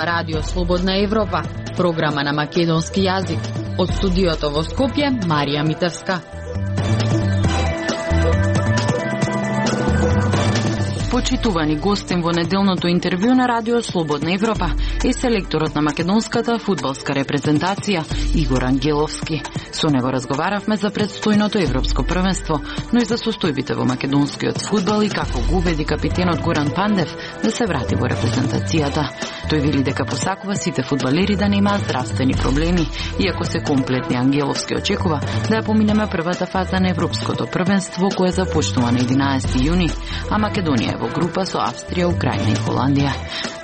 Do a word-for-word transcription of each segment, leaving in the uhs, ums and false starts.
Радио Слободна Европа, програма на македонски јазик. Од студиото во Скопје, Марија Митевска. Почитувани гостин во неделното интервју на Радио Слободна Европа е селекторот на македонската фудбалска репрезентација Игор Ангеловски. Со него разговаравме за предстојното европско првенство, но и за состојбите во македонскиот фудбал и како го убеди капитенот Горан Пандев да се врати во репрезентацијата. Тој вели дека посакува сите фудбалери да немаат здравствени проблеми, иако се комплетни. Ангеловски очекува да ја поминеме првата фаза на европското првенство, кое започнува на единаесети јуни, а Македонија е во група со Австрија, Украина и Холандија.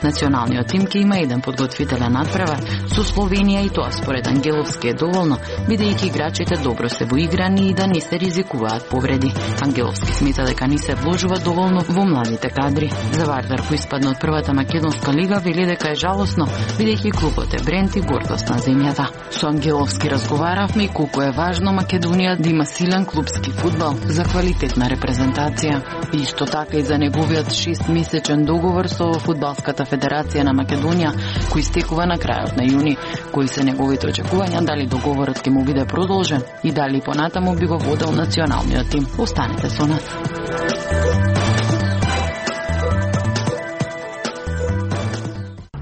Националниот тим ќе има еден подготвителен надпревар со Словенија и тоа според Ангеловски е доволно, бидејќи играчите добро се воиграни и да не се ризикуваат повреди. Ангеловски смета дека не се вложува доволно во младите кадри. За Вардар, кој испадна од првата македонска лига, вели дека е жалосно, бидејќи клубот е бренд и гордост на земјата. Со Ангеловски разговаравме и колку е важно Македонија да има силен клубски фудбал за квалитетна репрезентација. И исто така и за неговиот шестмесечен договор со Фудбалската федерација на Македонија, кој истекува на крајот на јуни. Кои се неговите очекувања, дали договорот ќе му биде продолжен и дали понатаму би го водел националниот тим. Останете со нас.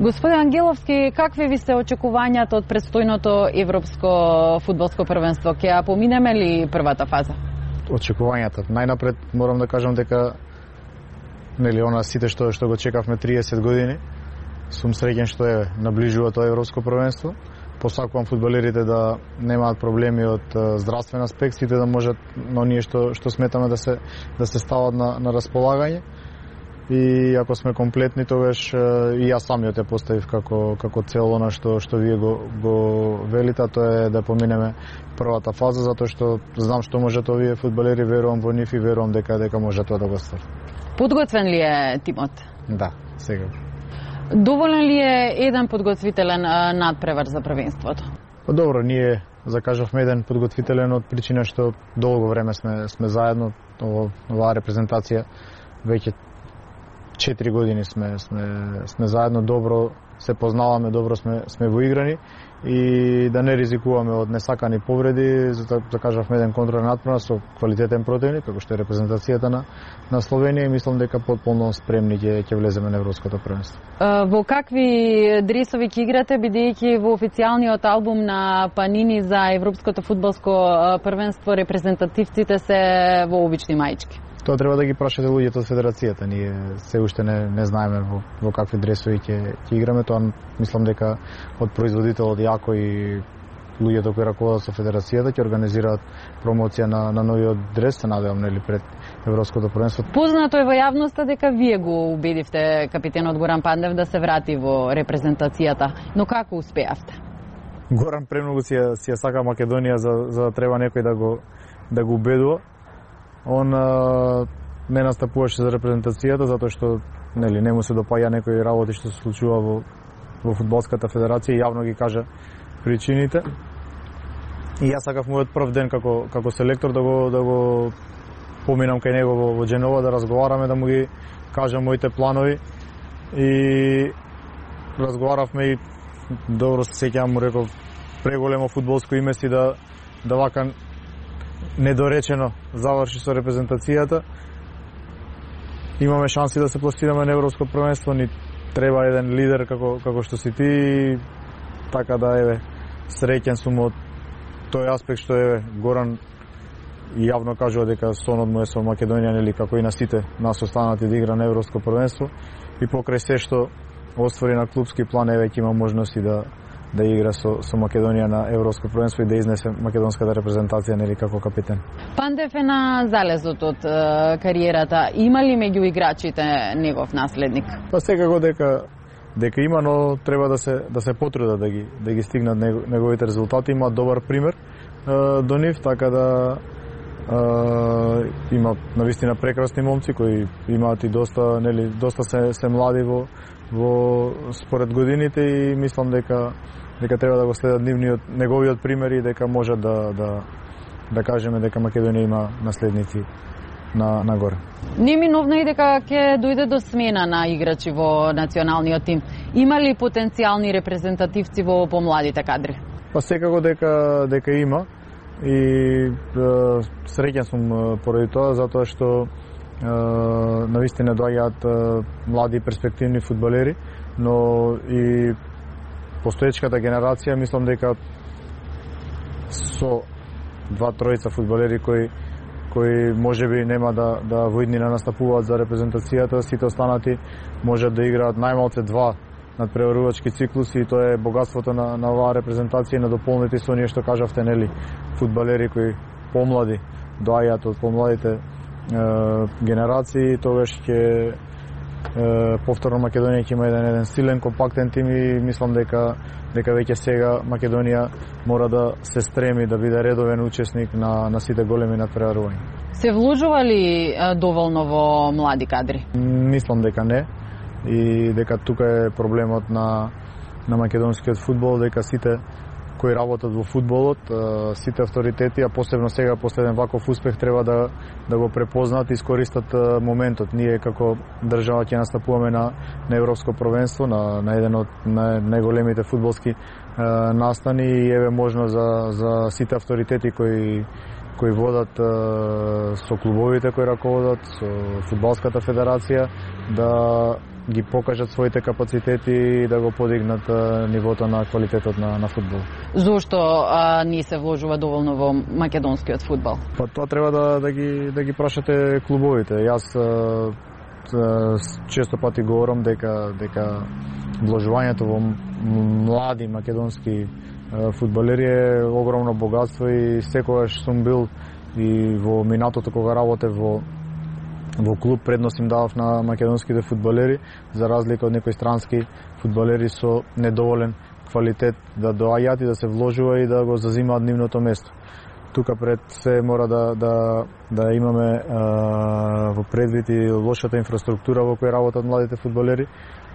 Господин Ангеловски, какви ви се очекувањата од предстојното европско фудбалско првенство? Ќе ја поминеме ли првата фаза? Очекувањата. Најнапред морам да кажам дека нели она сите што што го чекавме триесет години, сум среќен што е наближува тоа европско првенство. Посакувам фудбалерите да немаат проблеми од здравствен аспект, сите да можат на оние што што сметаме да се да се стават на на располагање. И ако сме комплетни, тогаш и јас самиот ја поставив како како цел она што што вие го го велите, тоа е да поминеме првата фаза, затоа што знам што можат овие фудбалери, верувам во нив и верувам дека дека може тоа да го ствари. Подготвен ли е тимот? Да, сега. Доволен ли е еден подготвителен надпревар за првенството? Па добро, ние закажавме еден подготвителен од причина што долго време сме сме заедно, оваа репрезентација веќе четири години сме сме сме заедно, добро се познаваме, добро сме сме воиграни и да не ризикуваме од несакани повреди, затоа закажавме еден контролен надпревар со квалитетен противник, како што е репрезентацијата на на Словенија, и мислам дека потполно спремни ќе ќе влеземе на европското првенство. Во какви дресови ќе играте, бидејќи во официјалниот албум на Панини за европското фудбалско првенство репрезентативците се во обични маички? Тоа треба да ги прашате луѓето од федерацијата. Ние се уште не не знаеме во, во какви дресови ќе ќе играме. Тоа мислам дека од производителот јако и луѓето кои раководат со федерацијата ќе организираат промоција на на новиот дрес, се надевам, нели, пред европското првенство. Познато е во јавноста дека вие го убедивте капитенот Горан Пандев да се врати во репрезентацијата, но како успеавте? Горан премногу си ја, си ја сака Македонија за за да треба некој да го да го убедува. Он а, не настапуваше за репрезентацијата затоа што нели не му се допаѓа некои работи што се случува во во фудбалската федерација, јавно ги кажа причините. И јас сакав мојот прв ден како како селектор да го да го поминам кај него во, во Дженова, да разговараме, да му ги кажам моите планови. И разговаравме и добро се сеќавам, му реков преголемо фудбалско име си да да вака недоречено заврши со репрезентацијата. Имаме шанси да се пласираме на европско првенство, ни треба еден лидер како како што си ти, така да еве среќен сум од тој аспект што еве Горан јавно кажува дека сонот му е со Македонија, нели, како и на сите нас останати да игра на европско првенство, и покрај се што оствари на клубски план, еве ќе има можности да да игра со, со Македонија на европско првенство и да изнесе македонската репрезентација, нели, како капитен. Пандев е на залезот од е, кариерата. Има ли меѓу играчите негов наследник? Па секако дека дека има, но треба да се да се потрудат да ги да ги стигнат неговите резултати. Има добар пример е, до нив, така да е, има навистина прекрасни момци кои имаат и доста, нели, доста се се млади во во според годините, и мислам дека дека треба да го следат нивниот неговиот пример и дека може да да да кажеме дека Македонија има наследници на на горе. Неминовно и дека ќе дојде до смена на играчи во националниот тим. Има ли потенцијални репрезентативци во помладите кадри? Па секако дека дека има и е, среќен сум поради тоа, затоа што е, навистина доаѓаат е, млади перспективни фудбалери, но и постоечката генерација мислам дека со два тројца фудбалери кои кои можеби нема да да во иднина настапуваат за репрезентацијата, сите останати можат да играат најмалце два надпреварувачки циклуси и тоа е богатството на на оваа репрезентација и на дополнете со оние што кажавте, нели, фудбалери кои помлади доаѓаат од помладите е, генерации, тогаш ќе повторно Македонија ќе има еден еден силен, компактен тим и мислам дека дека веќе сега Македонија мора да се стреми да биде редовен учесник на на сите големи надпреварувања. Се вложува ли доволно во млади кадри? Мислам дека не и дека тука е проблемот на на македонскиот фудбал, дека сите кои работат во фудбалот, сите авторитети, а посебно сега после еден ваков успех треба да да го препознаат и искористат моментот. Ние како држава ќе настапуваме на на европско првенство, на на еден од на најголемите фудбалски настани и еве можно за за сите авторитети кои кои водат со клубовите кои раководат, со фудбалската федерација да ги покажат своите капацитети и да го подигнат нивото на квалитетот на на фудбал. Зошто а, не се вложува доволно во македонскиот фудбал? Па тоа треба да да ги да ги прашате клубовите. Јас а, а, често пати говорам дека дека вложувањето во млади македонски а, фудбалери е огромно богатство и секогаш сум бил и во минатото кога работев во во клуб предност им давав на македонските фудбалери, за разлика од некои странски фудбалери со недоволен квалитет да доаѓаат и да се вложува и да го зазимаат нивното место. Тука пред се мора да да да имаме а, во предвид и лошата инфраструктура во која работат младите фудбалери.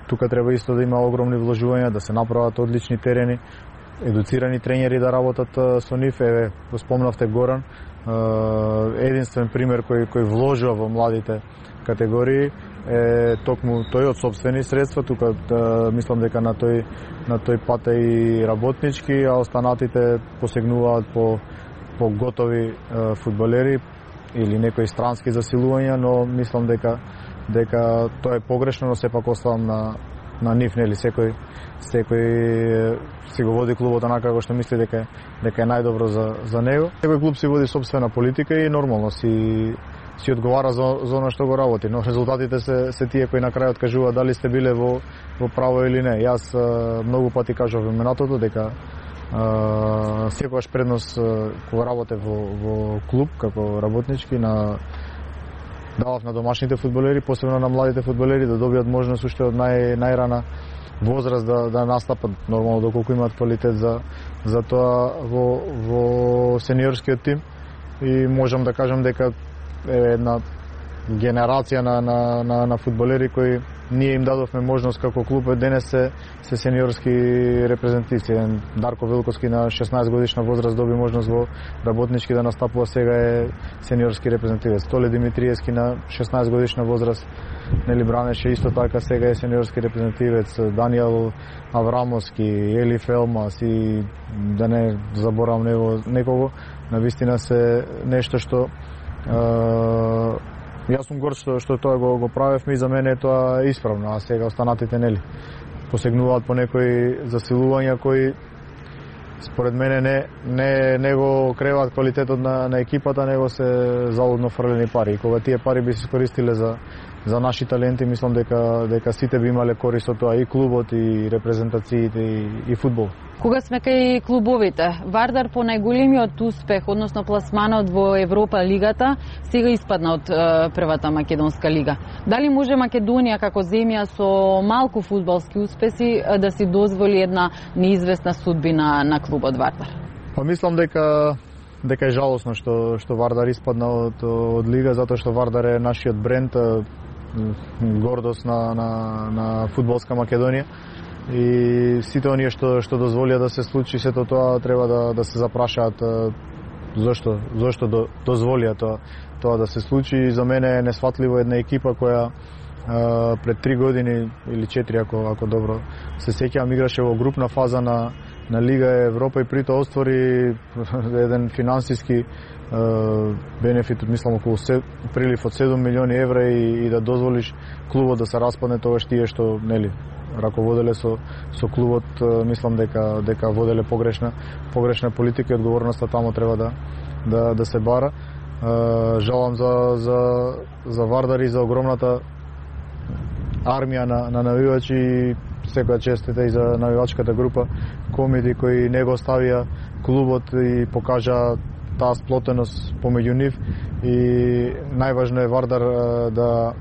Тука треба исто да има огромни вложувања, да се направат одлични терени, едуцирани тренери да работат со нив. Еве, го спомнавте Горан, единствен пример кој кој вложува во младите категории е токму тој од сопствени средства. Тука да, мислам дека на тој на тој пат е и работнички, а останатите посегнуваат по по готови е, фудбалери или некои странски засилувања, но мислам дека дека тоа е погрешно, но сепак оставам на на нив, нели, секој секој си го води клубот онака како што мисли дека дека е најдобро за за него. Секој клуб си води сопствена политика и нормално си си одговара за за она што го работи, но резултатите се се тие кои на крајот кажуваат дали сте биле во во право или не. Јас многу пати кажав во минатото дека Uh, секогаш предност uh, кога работев во, во клуб како работнички на давав на домашните фудбалери, посебно на младите фудбалери да добијат можност уште од нај најрана возраст да да настапат нормално доколку имаат квалитет за за тоа во во сениорскиот тим и можам да кажам дека е една генерација на на на, на фудбалери кои ние им дадовме можност како клуб денес се се сениорски репрезентативци. Дарко Велковски на шеснаесет годишна возраст доби можност во работнички да настапува, сега е сениорски репрезентативец. Толе Димитриевски на шеснаесет годишна возраст нели бранеше исто така, сега е сениорски репрезентативец. Даниел Аврамовски, Ели Фелмас и да не заборавам него некого, навистина се нешто што е, јас сум горд што, што тоа го, го правевме и за мене е тоа исправно, а сега останатите нели посегнуваат по некои засилувања кои според мене не не не го креваат квалитетот на на екипата, него се залудно фрлени пари. И кога тие пари би се искористиле за за наши таленти, мислам дека дека сите би имале корист од тоа, и клубот, и репрезентациите, и, и фудбал. Кога сме кај клубовите, Вардар по најголемиот успех, односно пласманот во Европа лигата, сега испадна од е, првата македонска лига. Дали може Македонија како земја со малку фудбалски успеси да си дозволи една неизвестна судбина на клубот Вардар? Па мислам дека дека е жалосно што што Вардар испадна од од лига, затоа што Вардар е нашиот бренд, гордост на на на фудбалска Македонија. И сите оние што што дозволија да се случи сето тоа треба да да се запрашаат зошто зошто до, дозволија тоа тоа да се случи. За мене е несфатливо една екипа која а, пред три години или четири, ако ако добро се сеќавам, играше во групна фаза на на Лига Европа и притоа оствари еден финансиски бенефит, мислам околу прилив од седум милиони евра и, и да дозволиш клубот да се распадне, тогаш тие што нели раководеле со со клубот, мислам дека дека воделе погрешна погрешна политика и одговорноста таму треба да да да се бара. Жалам за за за Вардар и за огромната армија на на навивачи и секоја честита и за навивачката група Комиди кои не го оставија клубот и покажа таа сплотеност помеѓу нив и најважно е Вардар да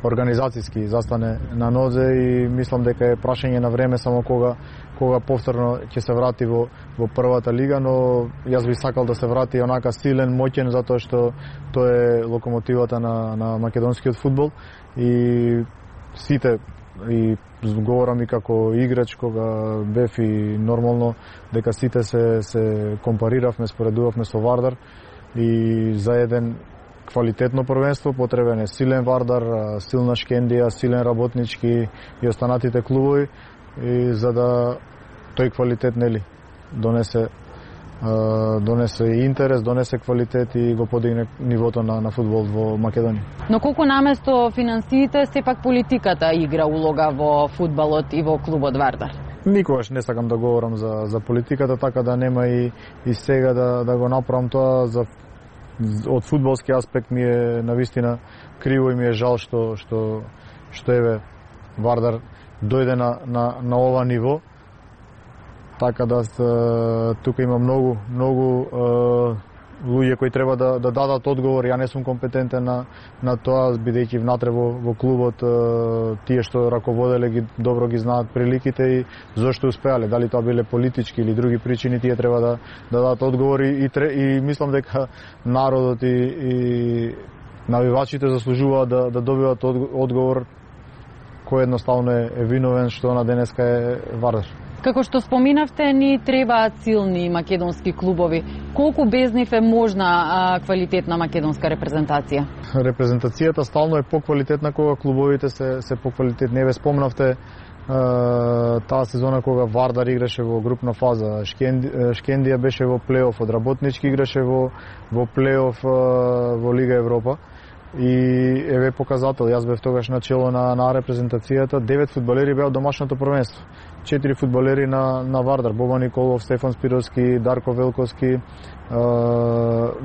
организацијски застане на нозе и мислам дека е прашање на време само кога кога повторно ќе се врати во во првата лига, но јас би сакал да се врати онака силен, моќен, затоа што тоа е локомотивата на на македонскиот фудбал и сите, и говорам и како играч кога бев и нормално дека сите се се компариравме, споредувавме со Вардар и за еден квалитетно првенство потребен е силен Вардар, силна Шкендија, силен работнички и останатите клубови и за да тој квалитет нели донесе донесе интерес, донесе квалитет и го подигне нивото на, на фудбал во Македонија. Но колку наместо финансиите, сепак политиката игра улога во фудбалот и во клубот Вардар? Никогаш не сакам да говорам за, за политиката, така да нема и, и сега да, да го направам тоа. За, од фудбалски аспект ми е навистина криво и ми е жал што, што, што еве Вардар дојде на, на, на ова ниво. Така да тука има многу многу луѓе кои треба да да дадат одговор. Ја не сум компетентен на на тоа, бидејќи внатре во во клубот тие што раководеле ги добро ги знаат приликите и зошто успеале, дали тоа биле политички или други причини, тие треба да да дадат одговор и и, и мислам дека народот и и навивачите заслужуваат да да добиваат одговор кој едноставно е, е виновен што на денеска е Вардар. Како што споминавте, ни требаат силни македонски клубови. Колку без нив е можна а, квалитетна македонска репрезентација? Репрезентацијата стално е поквалитетна кога клубовите се се поквалитетни. Еве спомнавте а, таа сезона кога Вардар играше во групна фаза, Шкенди, Шкендија беше во плейоф, од работнички играше во во плейоф во Лига Европа. И еве показател, јас бев тогаш начело на, на репрезентацијата, девет фудбалери беа од домашното првенство. Четири фудбалери на, на Вардар, Боба Николов, Стефан Спировски, Дарко Велковски,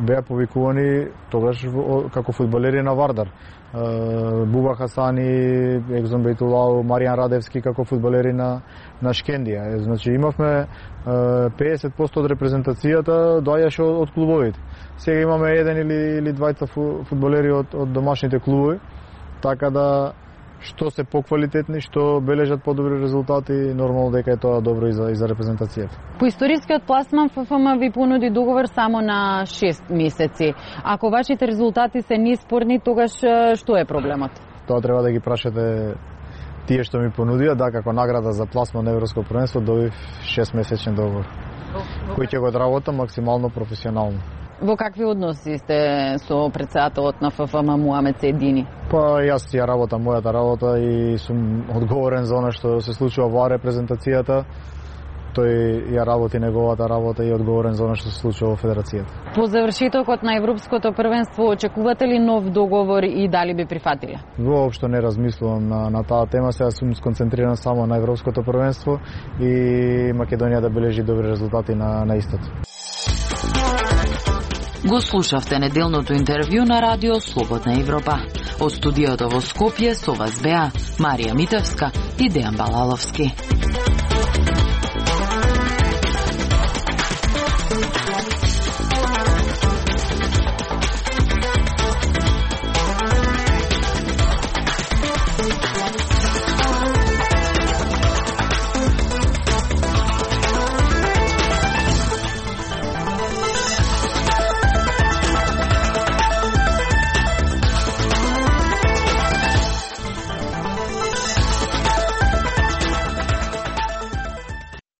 беа повикувани тогаш како фудбалери на Вардар. Буба Хасани, Екзон Бейтулау, Маријан Радевски како фудбалери на, на Шкендија. Значи имавме педесет проценти од репрезентацијата доаѓаше од, од клубовите. Сега имаме еден или, или двајца фудбалери од, од домашните клубови, така да што се поквалитетни, што бележат подобри резултати, нормално дека е тоа добро и за, и за репрезентацијата. По историскиот пласман ФФМ ви понуди договор само на шест месеци. Ако вашите резултати се неспорни, тогаш што е проблемот? Тоа треба да ги прашате тие што ми понудија, да, како награда за пласман на Европско првенство добив шест месечен договор, кој ќе го одработам максимално професионално. Во какви односи сте со претседателот на ФФМ Муамед Сејдини? Па јас ја работам мојата работа и сум одговорен за она што се случува во репрезентацијата. Тој ја работи неговата работа и одговорен за она што се случува во федерацијата. По завршетокот на Европското првенство очекувате ли нов договор и дали би прифатиле? Воопшто не размислувам на, на таа тема, сега сум сконцентриран само на Европското првенство и Македонија да бележи добри резултати на, на истото. Го слушавте неделното интервју на Радио Слободна Европа. Од студиото во Скопје со вас беа Марија Митевска и Дејан Балаловски.